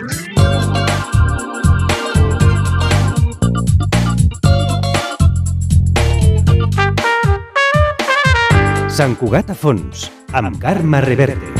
Sant Cugat a fons, amb Carme Reverte.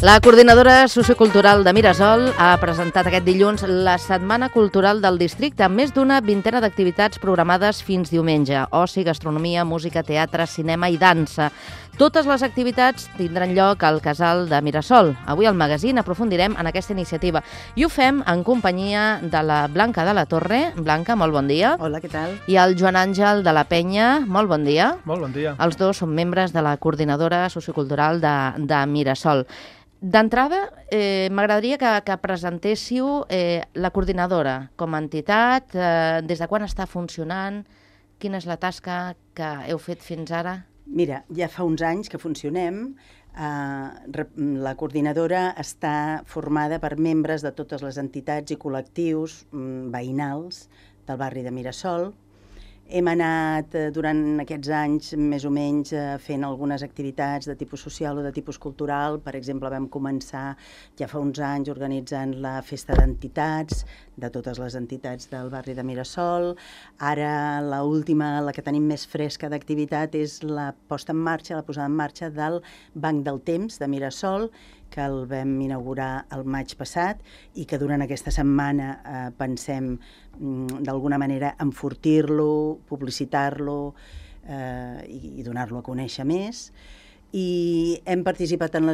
La coordinadora sociocultural de Mirasol ha presentat aquest dilluns la Setmana Cultural del Districte amb més d'una vintena d'activitats programades fins diumenge. Oci, gastronomia, música, teatre, cinema i dansa. Totes les activitats tindran lloc al Casal de Mirasol. Avui al magazín aprofundirem en aquesta iniciativa i ho fem en companyia de la Blanca de la Torre. Blanca, molt bon dia. Hola, què tal? I el Joan Àngel de la Penya. Molt bon dia. Molt bon dia. Els dos són membres de la coordinadora sociocultural de Mirasol. D'entrada, m'agradaria que presentéssiu la coordinadora com a entitat, des de quan està funcionant, quina és la tasca que heu fet fins ara? Mira, ja fa uns anys que funcionem. La coordinadora està formada per membres de totes les entitats i col·lectius veïnals del barri de Mirasol. Hem anat durant aquests anys més o menys fent algunes activitats de tipus social o de tipus cultural. Per exemple, vam començar ja fa uns anys organitzant la festa d'entitats, de totes les entitats del barri de Mirasol. Ara l'última, la que tenim més fresca d'activitat, és la posada en marxa del Banc del Temps de Mirasol, que el vam inaugurar el maig passat i que durant aquesta setmana pensem d'alguna manera enfortir-lo, publicitar-lo i donar-lo a conèixer més. I hem participat en la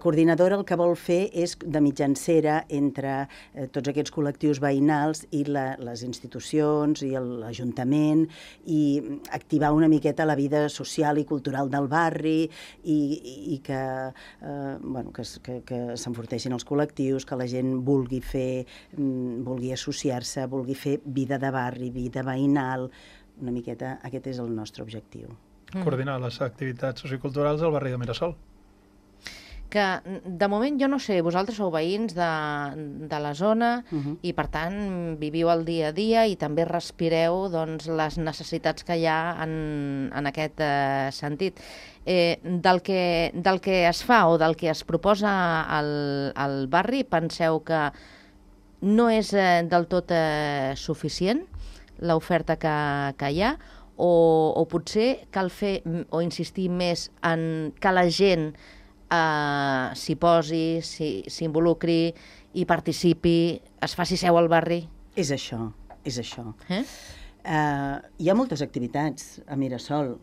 coordinadora el que vol fer és de mitjancera entre tots aquests col·lectius veïnals i les institucions i l'Ajuntament i activar una miqueta la vida social i cultural del barri i que s'enforteixin els col·lectius, que la gent vulgui associar-se, vulgui fer vida de barri, vida veïnal. Una miqueta aquest és el nostre objectiu. Coordinar les activitats socioculturals del barri de Mirasol. Que, de moment, jo no sé, vosaltres sou veïns de la zona i, per tant, viviu el dia a dia i també respireu les necessitats que hi ha en aquest sentit. Del que es fa o del que es proposa al barri, penseu que no és del tot suficient l'oferta que hi ha, o potser cal fer o insistir més en que la gent s'hi posi, s'involucri i participi, es faci seu al barri? És això, és això. Hi ha moltes activitats a Mirasol.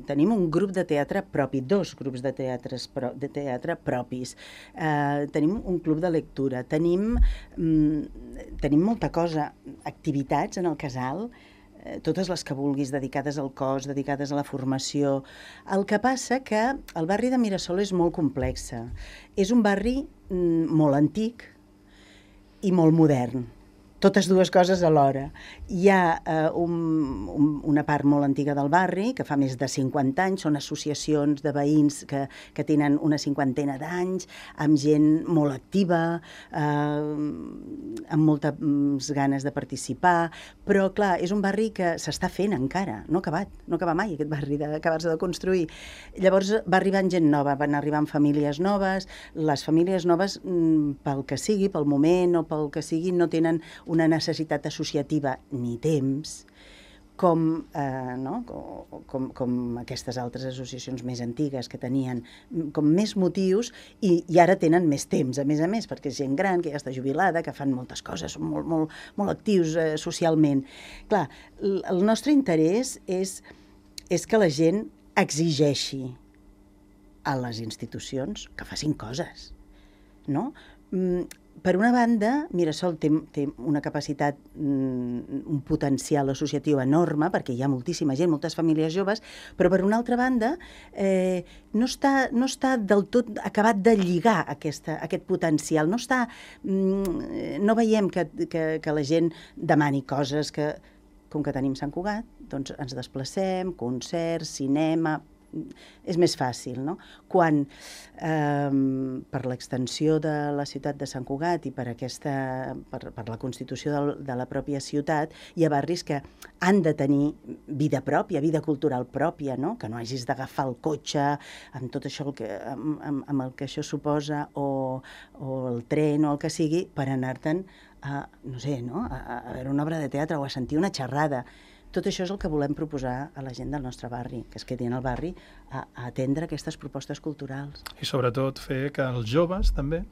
Tenim un grup de teatre propi, dos grups de teatre propis. Tenim un club de lectura. Tenim molta cosa, activitats en el casal, totes les que vulguis, dedicades al cos, dedicades a la formació. El que passa que el barri de Mirasol és molt complex. És un barri molt antic i molt modern. Totes dues coses alhora. Hi ha una part molt antiga del barri, que fa més de 50 anys, són associacions de veïns que tenen una cinquantena d'anys, amb gent molt activa, amb moltes ganes de participar, però clar, és un barri que s'està fent encara, no ha acabat mai aquest barri d'acabar-se de construir. Llavors va arribant gent nova, van arribant famílies noves, les famílies noves, pel que sigui, pel moment o pel que sigui, no tenen una necessitat associativa ni temps com aquestes altres associacions més antigues que tenien com més motius i ara tenen més temps, a més, perquè és gent gran, que ja està jubilada, que fan moltes coses, són molt actius socialment. Clar, el nostre interès és que la gent exigeixi a les institucions que facin coses, no? Per una banda, Mirasol té una capacitat, un potencial associatiu enorme, perquè hi ha moltíssima gent, moltes famílies joves, però per una altra banda no està del tot acabat de lligar aquest potencial. No veiem que la gent demani coses que, com que tenim Sant Cugat, doncs ens desplacem, concerts, cinema, és més fàcil, no? Quan per l'extensió de la ciutat de Sant Cugat i per la constitució de la pròpia ciutat, hi ha barris que han de tenir vida pròpia, vida cultural pròpia, no? Que no hagis d'agafar el cotxe amb tot això amb el que això suposa, o el tren o el que sigui, per anar-te'n a veure una obra de teatre o a sentir una xerrada. Tot això és el que volem proposar a la gent del nostre barri, que es quedin al barri a atendre aquestes propostes culturals. I sobretot fer que els joves també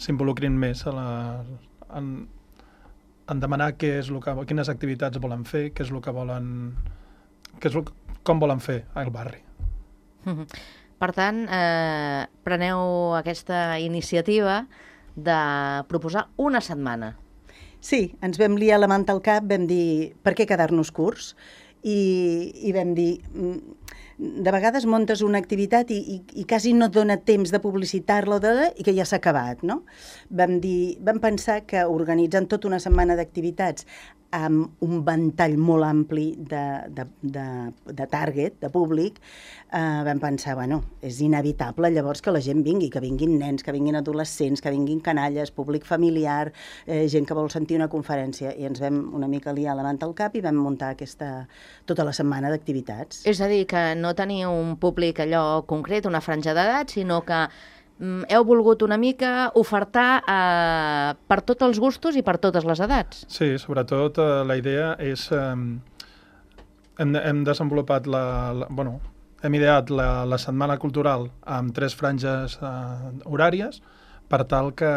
s'involucrin més en demanar quines activitats volen fer, què és el que volen, com volen fer al barri. Per tant, preneu aquesta iniciativa de proposar una setmana. Sí, ens vam liar la manta al cap, vam dir per què quedar-nos curts, i vam dir de vegades muntes una activitat i quasi no et dona temps de publicitar-la i que ja s'ha acabat, no? Vam pensar que organitzant tota una setmana d'activitats amb un ventall molt ampli de target, de públic, vam pensar, és inevitable llavors que la gent vingui, que vinguin nens, que vinguin adolescents, que vinguin canalles, públic familiar, gent que vol sentir una conferència, i ens vam una mica liar la manta al cap i vam muntar tota la setmana d'activitats. És a dir, que no teniu un públic allò concret, una franja d'edat, sinó que heu volgut una mica ofertar per tots els gustos i per totes les edats. Sí, sobretot la idea és... Hem desenvolupat hem ideat la setmana cultural amb 3 franges horàries per tal que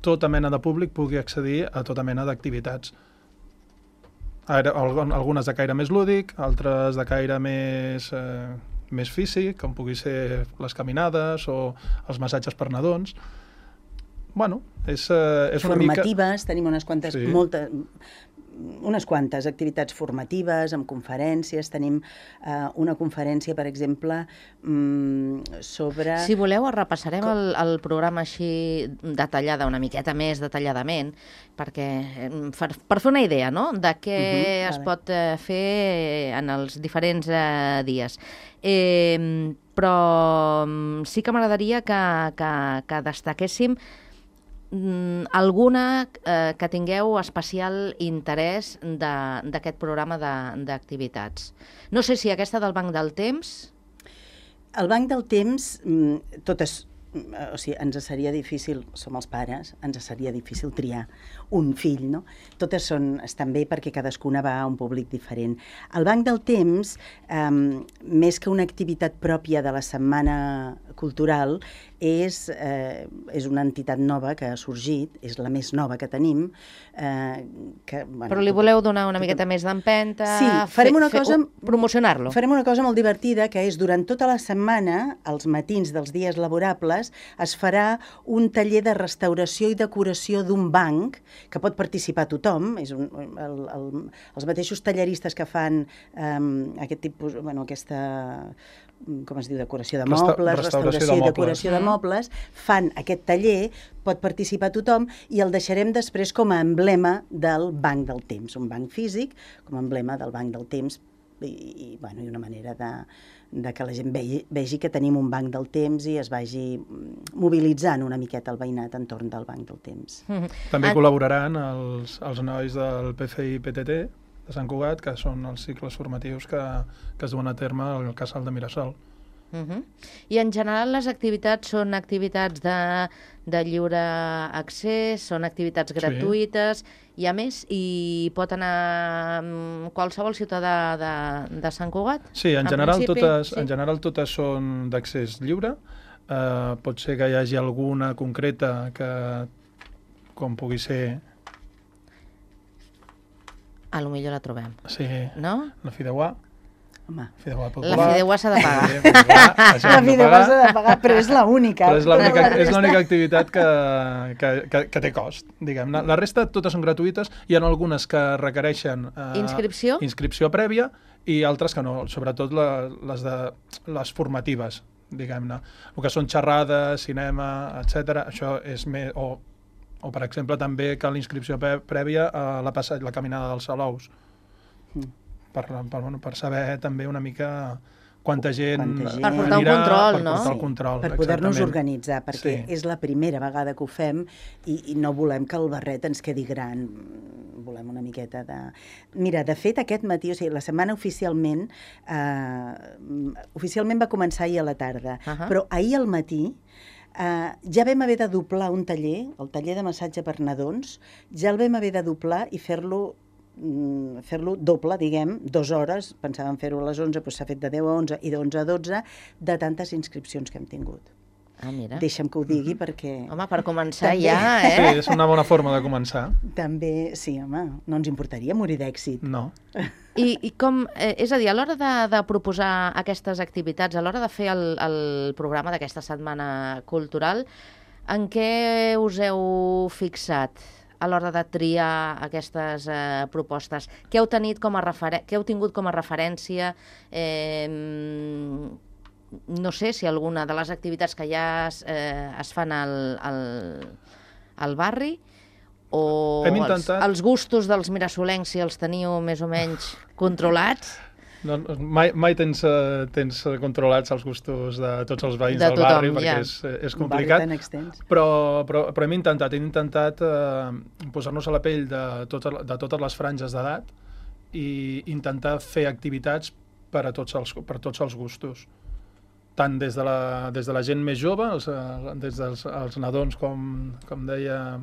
tota mena de públic pugui accedir a tota mena d'activitats. Algunes de caire més lúdic, altres de caire més físic, com pugui ser les caminades o els massatges per nadons. És formatives, tenim unes quantes, Sí. unes quantes activitats formatives, amb conferències. Tenim una conferència, per exemple, sobre... Si voleu, repassarem el programa així una miqueta més detalladament, perquè per fer una idea, no?, de què es pot fer en els diferents dies. Però sí que m'agradaria que destaquéssim alguna que tingueu especial interès d'aquest programa d'activitats. No sé si aquesta del Banc del Temps... El Banc del Temps, totes... O sigui, ens seria difícil, som els pares, ens seria difícil triar un fill, no? Totes estan bé perquè cadascuna va a un públic diferent. El Banc del Temps, més que una activitat pròpia de la setmana cultural, és una entitat nova que ha sorgit, és la més nova que tenim. Però li voleu donar una miqueta més d'empenta? Sí, farem una cosa... Promocionar-lo. Farem una cosa molt divertida, que és durant tota la setmana, els matins dels dies laborables, es farà un taller de restauració i decoració d'un banc, que pot participar tothom. Els mateixos talleristes que fan aquest tipus, aquesta... com es diu, decoració de mobles, restauració i decoració de mobles, fan aquest taller, pot participar tothom, i el deixarem després com a emblema del Banc del Temps, un banc físic, com a emblema del Banc del Temps, i una manera de que la gent vegi que tenim un Banc del Temps i es vagi mobilitzant una miqueta el veïnat entorn del Banc del Temps. També col·laboraran els nois del PCI-PTT de Sant Cugat, que són els cicles formatius que es duen a terme al Casal de Mirasol. I en general les activitats són activitats de lliure accés, són activitats gratuïtes, i a més hi pot anar qualsevol ciutadà de Sant Cugat? Sí, en general totes són d'accés lliure. Pot ser que hi hagi alguna concreta que, com pugui ser... A lo millor la trobem. Sí, no? La Fideuà. Home, la Fideuà s'ha de pagar. La Fideuà s'ha de pagar, però és l'única. Però és l'única activitat que té cost, diguem. La resta totes són gratuïtes, hi ha algunes que requereixen inscripció prèvia i altres que no, sobretot les formatives, diguem-ne. El que són xerrades, cinema, etc. Això és més... O, per exemple, també cal inscripció prèvia a la caminada dels Salous, per saber també una mica quanta gent per portar un control, no? Per portar el control, per poder-nos organitzar, perquè és la primera vegada que ho fem i no volem que el barret ens quedi gran. Volem una miqueta de... Mira, de fet, aquest matí, o sigui, la setmana oficialment va començar ahir a la tarda, però ahir al matí ja vam haver de doblar un taller, el taller de massatge per nadons, ja el vam haver de doblar i fer-lo doble, diguem, 2 hores, pensàvem fer-ho a les 11, però s'ha fet de 10 a 11 i de 11 a 12, de tantes inscripcions que hem tingut. Ah, mira. Deixa'm que ho digui perquè... Home, per començar ja, Sí, és una bona forma de començar. També, sí, home, no ens importaria morir d'èxit. No. I com, és a dir, a l'hora de proposar aquestes activitats, a l'hora de fer el programa d'aquesta setmana cultural, en què us heu fixat a l'hora de triar aquestes propostes? Què heu tingut com a referència? No sé si alguna de les activitats que ja es fan al barri o els gustos dels mirassolencs, si els teniu més o menys controlats. No, mai tens controlats els gustos de tots els veïns del barri, perquè és complicat. Però hem intentat posar-nos a la pell de totes les franges d'edat i intentar fer activitats per a tots els gustos. Tant des de la gent més jove, des dels nadons, com deia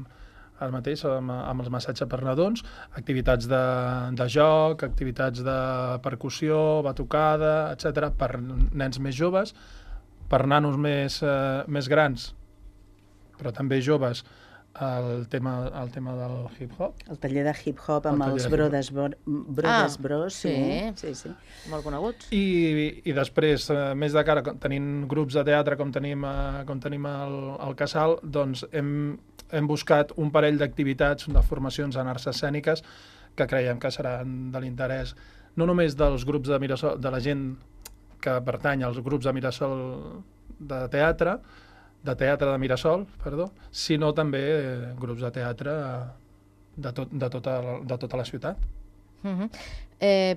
ara mateix, amb els massatges per nadons, activitats de joc, activitats de percussió, batucada, etc., per nens més joves, per nanos més grans, però també joves, el tema del hip-hop. El taller de hip-hop amb els Brothers Bros. Sí. Molt coneguts. I després, més de cara, tenint grups de teatre com tenim al Casal, doncs hem buscat un parell d'activitats, de formacions en arts escèniques, que creiem que seran de l'interès, no només dels grups de Mirasol, de la gent que pertany als grups de Mirasol de teatre de Mirasol, sinó també grups de teatre de tota la ciutat.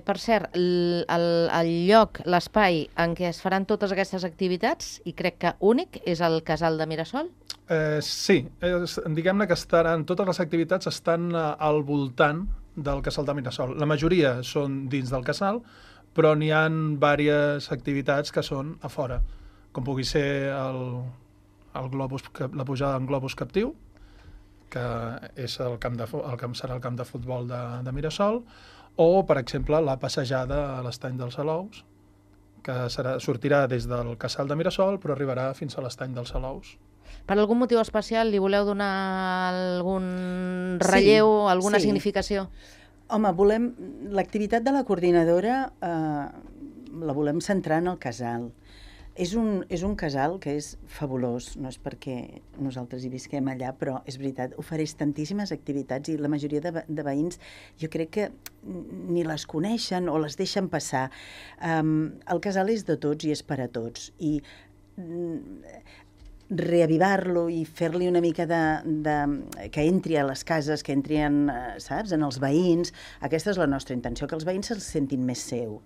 Per cert, el lloc, l'espai en què es faran totes aquestes activitats, i crec que únic, és el Casal de Mirasol? Sí, diguem-ne que totes les activitats estan al voltant del Casal de Mirasol. La majoria són dins del Casal, però n'hi ha diverses activitats que són a fora, com pugui ser la pujada en globus captiu, que és serà el camp de futbol de Mirasol, o, per exemple, la passejada a l'estany dels Salous, que sortirà des del Casal de Mirasol, però arribarà fins a l'estany dels Salous. Per algun motiu especial li voleu donar algun relleu, alguna significació? Home, l'activitat de la coordinadora la volem centrar en el casal. És un casal que és fabulós, no és perquè nosaltres hi visquem allà, però és veritat, ofereix tantíssimes activitats i la majoria de veïns jo crec que ni les coneixen o les deixen passar. El casal és de tots i és per a tots, i reavivar-lo i fer-li una mica que entri a les cases, que entri en els veïns, aquesta és la nostra intenció, que els veïns se'ls sentin més seu,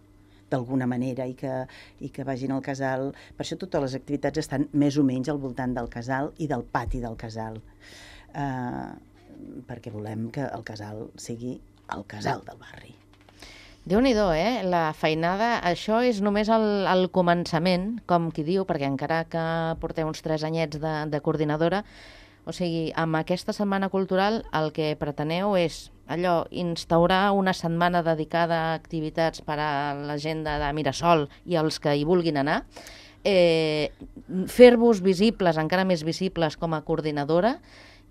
d'alguna manera, i que vagin al casal. Per això totes les activitats estan més o menys al voltant del casal i del pati del casal, perquè volem que el casal sigui el casal del barri. Déu-n'hi-do, la feinada. Això és només el començament, com qui diu, perquè encara que porteu uns 3 anyets de coordinadora, o sigui, amb aquesta setmana cultural el que preteneu és instaurar una setmana dedicada a activitats per a la gent de Mirasol i els que hi vulguin anar, fer-vos visibles, encara més visibles com a coordinadora,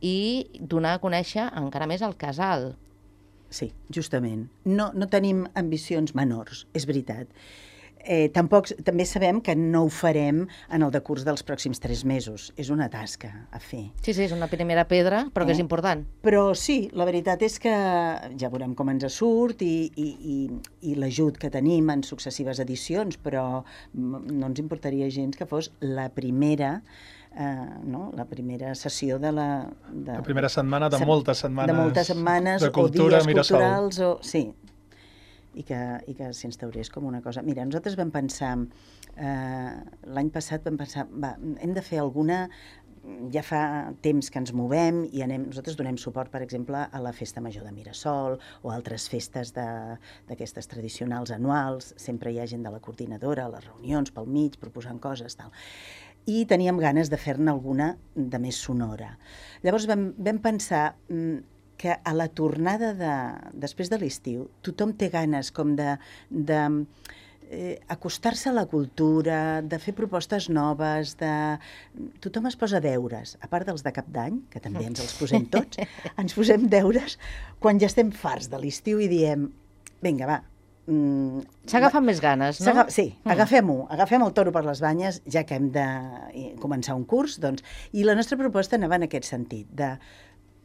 i donar a conèixer encara més el casal. Sí, justament. No tenim ambicions menors, és veritat. També sabem que no ho farem en el decurs dels pròxims 3 mesos. És una tasca a fer. Sí, és una primera pedra, però que és important. Però sí, la veritat és que ja veurem com ens surt i l'ajut que tenim en successives edicions, però no ens importaria gens que fos la primera la primera sessió de la primera setmana de moltes setmanes de cultura, o dies culturals Mirasol. Sí. i que s'instaurés com una cosa. Mira, nosaltres vam pensar, l'any passat vam pensar, hem de fer alguna... Ja fa temps que ens movem i nosaltres donem suport, per exemple, a la Festa Major de Mirasol o altres festes d'aquestes tradicionals anuals. Sempre hi ha gent de la coordinadora, a les reunions, pel mig, proposant coses, tal. I teníem ganes de fer-ne alguna de més sonora. Llavors vam pensar que a la tornada després de l'estiu tothom té ganes com de acostar-se a la cultura, de fer propostes noves, tothom es posa deures, a part dels de cap d'any, que també ens els posem tots, ens posem deures quan ja estem farts de l'estiu i diem, vinga, va. S'agafen més ganes, no? Sí, agafem el toro per les banyes, ja que hem de començar un curs, doncs, i la nostra proposta anava en aquest sentit, de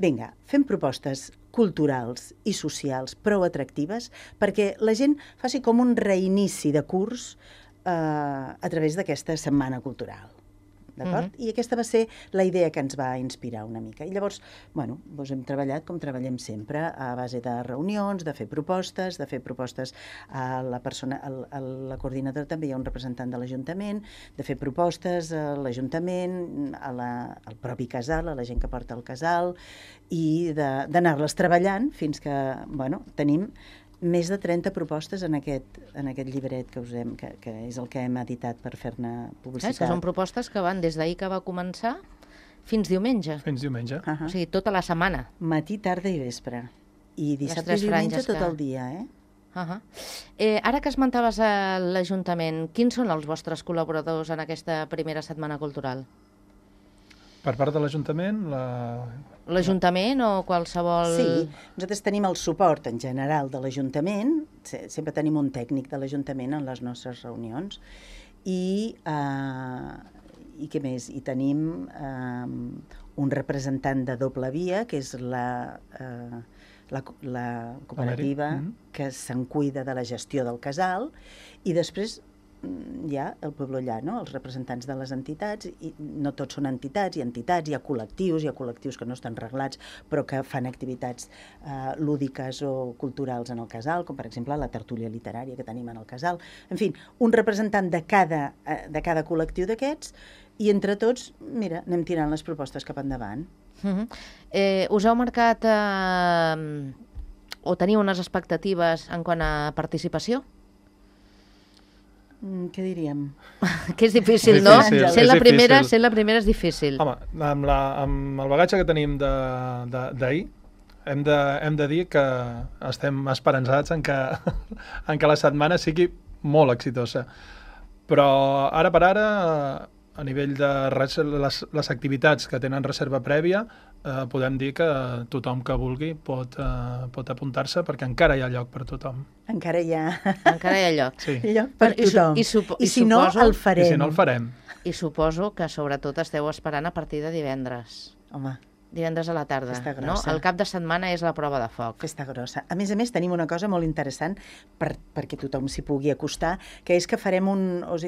vinga, fem propostes culturals i socials prou atractives perquè la gent faci com un reinici de curs a través d'aquesta setmana cultural. D'acord? I aquesta va ser la idea que ens va inspirar una mica. I llavors, bueno, doncs hem treballat com treballem sempre, a base de reunions, de fer propostes a la coordinadora també hi ha un representant de l'Ajuntament, de fer propostes a l'Ajuntament, al propi casal, a la gent que porta el casal, i d'anar-les treballant fins que, bueno, tenim més de 30 propostes en aquest llibret que és el que hem editat per fer-ne publicitat. Que són propostes que van des d'ahir que va començar fins diumenge. Fins diumenge. O sigui, tota la setmana. Matí, tarda i vespre. I dissabte i diumenge tot el dia, Ara que esmentaves a l'Ajuntament, quins són els vostres col·laboradors en aquesta primera setmana cultural? Per part de l'Ajuntament, l'Ajuntament o qualsevol... Sí, nosaltres tenim el suport en general de l'Ajuntament, sempre tenim un tècnic de l'Ajuntament en les nostres reunions, i què més? I tenim un representant de doble via, que és la cooperativa que se'n cuida de la gestió del casal, i després hi ha el poble allà, no? Els representants de les entitats, i no tots són entitats, hi ha col·lectius que no estan reglats, però que fan activitats lúdiques o culturals en el casal, com per exemple la tertúlia literària que tenim en el casal. En fi, un representant de cada col·lectiu d'aquests, i entre tots, mira, anem tirant les propostes cap endavant. Us heu marcat o teniu unes expectatives en quant a participació? Què diríem? Que és difícil, no? Sent la primera és difícil. Home, amb el bagatge que tenim d'ahir, hem de dir que estem esperançats en que la setmana sigui molt exitosa. Però ara per ara, a nivell de les activitats que tenen reserva prèvia, podem dir que tothom que vulgui pot apuntar-se perquè encara hi ha lloc per tothom. Encara hi ha lloc. Sí. Lloc per tothom. I si no, el farem. I suposo que sobretot esteu esperant a partir de divendres. Home. Divendres a la tarda, no? El cap de setmana és la prova de foc. Festa grossa. A més, tenim una cosa molt interessant perquè tothom s'hi pugui acostar, que és que farem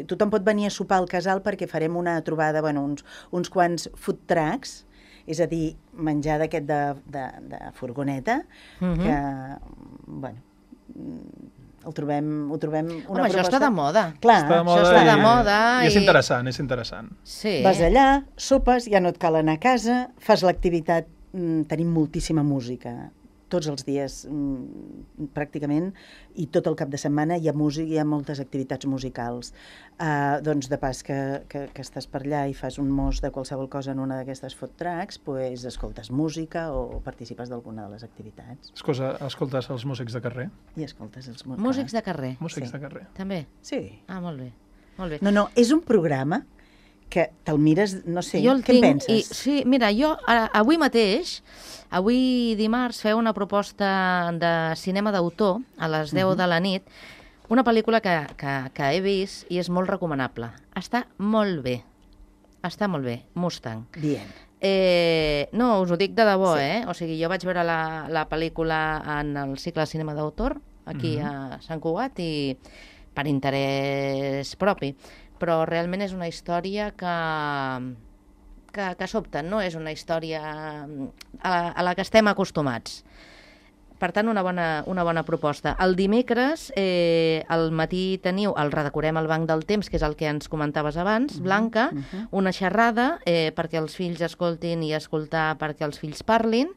tothom pot venir a sopar al casal perquè farem una trobada, uns quants food trucks, és a dir, menjar d'aquest de furgoneta, que, ho trobem una proposta... Home, això està de moda. Clar, això està de moda. I és interessant. Sí. Vas allà, sopes, ja no et cal anar a casa, fas l'activitat, tenim moltíssima música, tots els dies pràcticament, i tot el cap de setmana hi ha música, hi ha moltes activitats musicals. Doncs de pas que estàs per allà i fas un mos de qualsevol cosa en una d'aquestes food trucks, doncs escoltes música o participes d'alguna de les activitats. Escoltes els músics de carrer? I escoltes els músics de carrer. Músics de carrer. També? Sí. Molt bé. No, és un programa que te'l mires, no sé, què en penses? Sí, mira, jo avui dimarts feu una proposta de cinema d'autor a les 10 de la nit, una pel·lícula que he vist i és molt recomanable. Està molt bé, Mustang. Bien. No, us ho dic de debò, O sigui, jo vaig veure la pel·lícula en el cicle de cinema d'autor, aquí a Sant Cugat, i per interès propi. Però realment és una història que sobta, no és una història a la que estem acostumats. Per tant, una bona proposta. El dimecres, al matí teniu el Redecorem el Banc del Temps, que és el que ens comentaves abans, Blanca, una xerrada perquè els fills escoltin i escoltar perquè els fills parlin,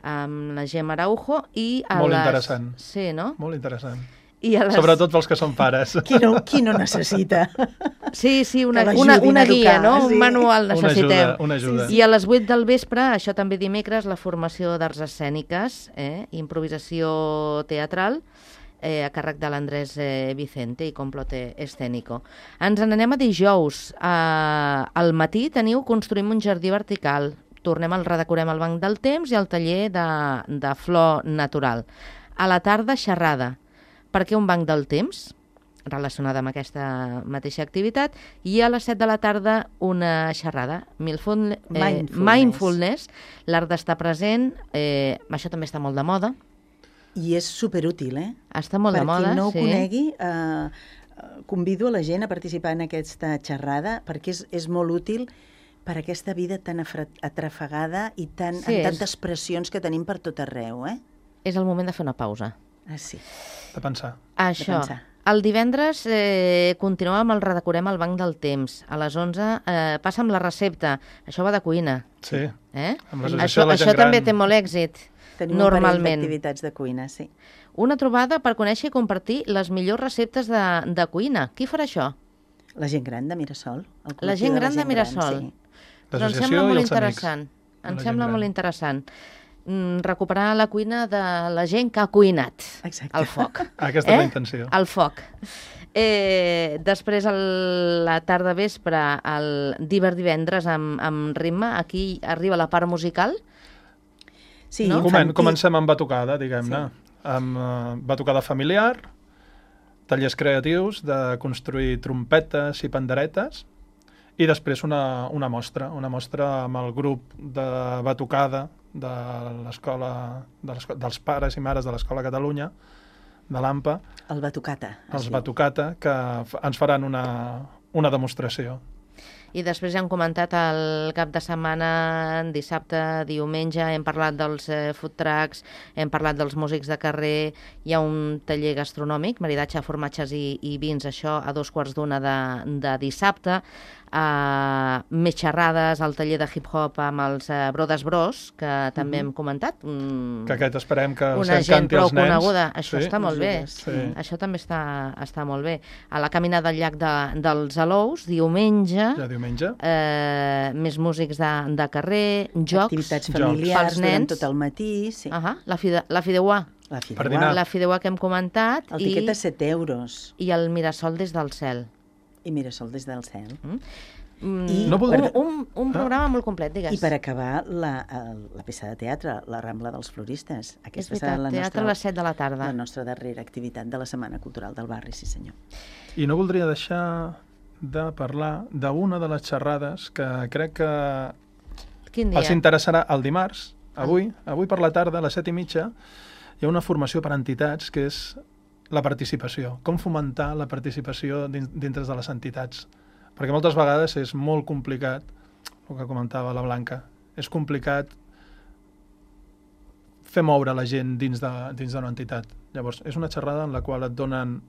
amb la Gemma Araujo. Molt interessant. Sí, no? Molt interessant. Sobretot pels que són pares. Qui no necessita? Sí, una guia, no? Un manual necessitem. Una ajuda. I a les 8 del vespre, això també dimecres, la formació d'arts escèniques, improvisació teatral, a càrrec de l'Andrés Vicente i Complote Escénico. Ens n'anem a dijous. Al matí teniu Construïm un jardí vertical. Tornem al Redecorem el Banc del Temps i al taller de flor natural. A la tarda, xerrada. Per què un banc del temps? Relacionada amb aquesta mateixa activitat. I a les 7 de la tarda, una xerrada. Mindfulness. L'art d'estar present. Això també està molt de moda. I és superútil, Està molt de moda, sí. Per qui no ho conegui, convido a la gent a participar en aquesta xerrada, perquè és molt útil per aquesta vida tan atrafegada i amb tantes pressions que tenim per tot arreu, És el moment de fer una pausa. Sí. De pensar. Això. El divendres continuem amb el Redecorem el Banc del Temps. A les 11 passa amb la recepta. Això va de cuina. Sí. Amb l'associació de la gent gran. Això també té molt èxit, tenim normalment. Tenim un parell d'activitats de cuina, sí. Una trobada per conèixer i compartir les millors receptes de cuina. Qui farà això? La gent gran de Mirasol. La gent gran de Mirasol. Sí. L'associació i els amics. Em sembla molt interessant. Recuperar la cuina de la gent que ha cuinat. Exacte. Al foc. Aquesta és la intenció. Al foc. Després, a la tarda vespre, el divendres amb ritme, aquí arriba la part musical. Sí, no? Comencem amb batucada, diguem-ne. Sí. Amb batucada familiar, tallers creatius de construir trompetes i panderetes, i després una mostra amb el grup de batucada de l'escola, dels pares i mares de l'Escola Catalunya, de l'AMPA. El Batucata. Els Batucata, que ens faran una demostració. I després ja hem comentat el cap de setmana, dissabte, diumenge, hem parlat dels food trucks, hem parlat dels músics de carrer, hi ha un taller gastronòmic, maridatge, formatges i vins, això a 2:15 de dissabte, més xerrades al taller de hip-hop amb els Brothers Bros, que també hem comentat. Que aquest esperem que una gent prou coneguda. Això sí, està molt bé. Sí. Això també està molt bé. A la caminada del llac dels Alous, diumenge, més músics de carrer, jocs, activitats familiars durant tot el matí. Sí. La Fideuà. La Fideuà que hem comentat. El tiquet de 7 euros. I el Mirasol des del cel. I Mirasol des del cel. Un programa molt complet, digues. I per acabar, la peça de teatre, la Rambla dels Floristes. És veritat, teatre a les 7 de la tarda. La nostra darrera activitat de la Setmana Cultural del Barri, sí senyor. I no voldria deixar de parlar d'una de les xerrades que crec que els interessarà el dimarts, avui per la tarda, a les 7:30, hi ha una formació per entitats que és la participació. Com fomentar la participació dintre de les entitats. Perquè moltes vegades és molt complicat, el que comentava la Blanca, és complicat fer moure la gent dins d'una entitat. Llavors, és una xerrada en la qual et donen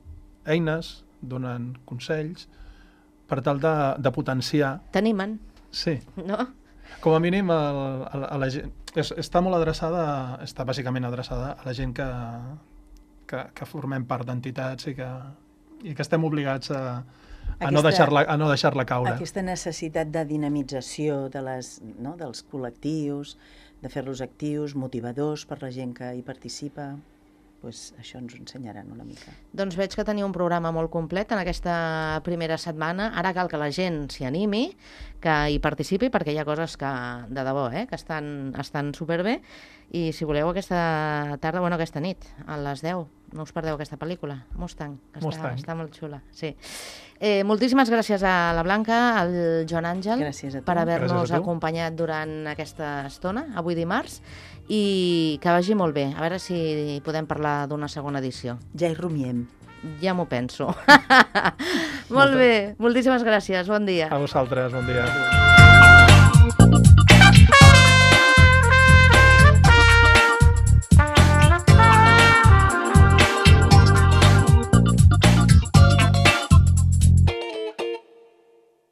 eines, donen consells, per tal de potenciar... T'animen. Sí. No? Com a mínim, a la gent... Està molt adreçada, està bàsicament adreçada a la gent que formem part d'entitats i que estem obligats a no deixar-la caure. Aquesta necessitat de dinamització dels col·lectius, de fer-los actius, motivadors per la gent que hi participa, doncs això ens ho ensenyaran una mica. Doncs veig que tenia un programa molt complet en aquesta primera setmana. Ara cal que la gent s'hi animi, que hi participi, perquè hi ha coses que, de debò, que estan superbé. I si voleu aquesta tarda, aquesta nit, a les 10, no us perdeu aquesta pel·lícula, Mustang, que està molt xula. Sí. Moltíssimes gràcies a la Blanca, al Joan Àngel, per haver-nos acompanyat durant aquesta estona, avui dimarts, i que vagi molt bé. A veure si podem parlar d'una segona edició. Ja hi rumiem. Ja m'ho penso. Molt bé, moltíssimes gràcies, bon dia. A vosaltres, bon dia.